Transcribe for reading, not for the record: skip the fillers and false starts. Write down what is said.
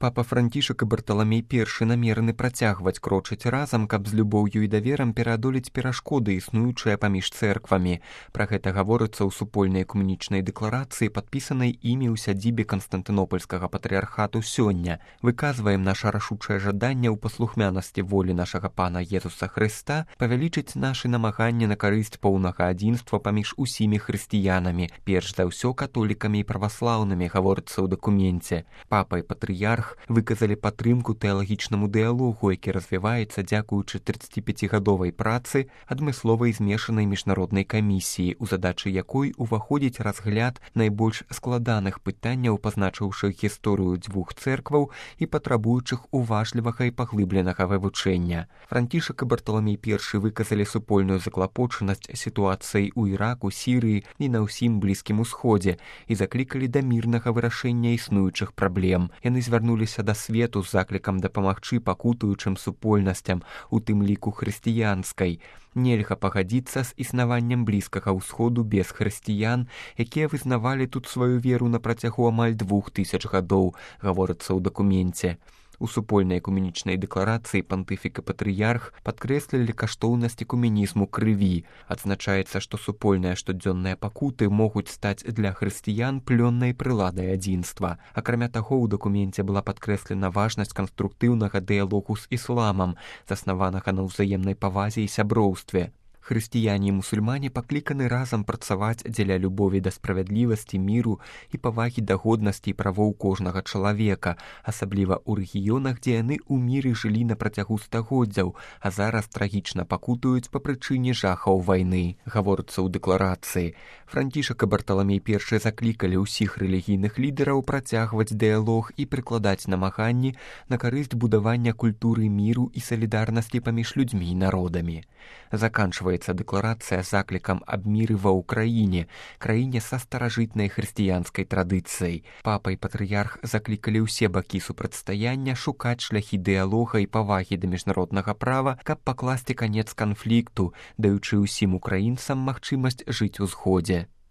Папа Францішак і Барталамей I намерены працягваць крочыць разам, каб з любоўю і даверам пераадолець перашкоды, існуючыя паміж цэрквамі. Пра гэта гаворыцца ў супольнай экумэнічнай дэкларацыі, падпісанай імі ў сядзібе Канстантынопольскага патрыархату сёння. Выказваем наша рашучае жаданне ў паслухмянасці волі нашага Пана Езуса Хрыста павялічыць нашы намаганні на карысць поўнага адзінства паміж усімі хрысціянамі, перш за ўсё католікамі і праваслаўнымі, гаворыцца ў дакуменце. Папа і патрыярх выказалі падтрымку тэалагічнаму дыялогу, які развіваецца дзякуючы 35гадовай працы адмысловай змешанай міжнароднай камісіі, у задачы якой уваходзіць разгляд найбольш складаных пытанняў, пазначыўшы гісторыю дзвюх цэркваў і патрабуючых уважлівага і паглыбленага вывучэння. Францішак і Барталамей I выказалі супольную заклапочанасць сітуацыяй у Іраку, Сірыі і на ўсім Блізкім Усходзе і заклікалі да мірнага вырашэння існуючых праблем. Яны звярнуліся да свету з заклікам дапамагчы пакутуючым супольнасцям, у тым ліку хрысціянскай. Нельга пагадзіцца з існаваннем Блізкага ўсходу без хрысціян, якія вызнавалі тут сваю веру на працягу амаль 2000 гадоў, гаворыцца ў дакуменце. У супольнай экумэнічнай дэкларацыі пантыфік і патрыярх падкрэслілі каштоўнасць экумэнізму крыві. Адзначаецца, што супольныя штодзённыя пакуты могуць стаць для хрысціян плённай прыладай адзінства. Акрамя таго, у дакуменце была падкрэслена важнасць канструктыўнага дыялогу з ісламам, заснаванага на ўзаемнай павазе і сяброўстве. Хрысціяне і мусульмане пакліканы разам працаваць дзеля любові да справядлівасці, міру і павагі да годнасці і правоў кожнага чалавека, асабліва ў рэгіёнах, дзе яны ў міры жылі на працягу стагоддзяў, а зараз трагічна пакутуюць па прычыне жахаў вайны, гаворыцца ў дэкларацыі. Францішак і Барталамей I заклікалі ўсіх рэлігійных лідараў працягваць дыялог і прыкладаць намаганні на карысць будавання культуры міру і салідарнасці паміж людзьмі і народамі. Заканчваецца дэкларацыя заклікам аб міры ва ўкраіне, краіне са старажытнай хрысціянскай традыцыяй. Папа і патрыярх заклікалі ўсе бакі супрацьстаяння шукаць шляхі дыялога і павагі да міжнароднага права, каб пакласці канец канфлікту, даючы ўсім украінцам магчымасць жыць у згодзе.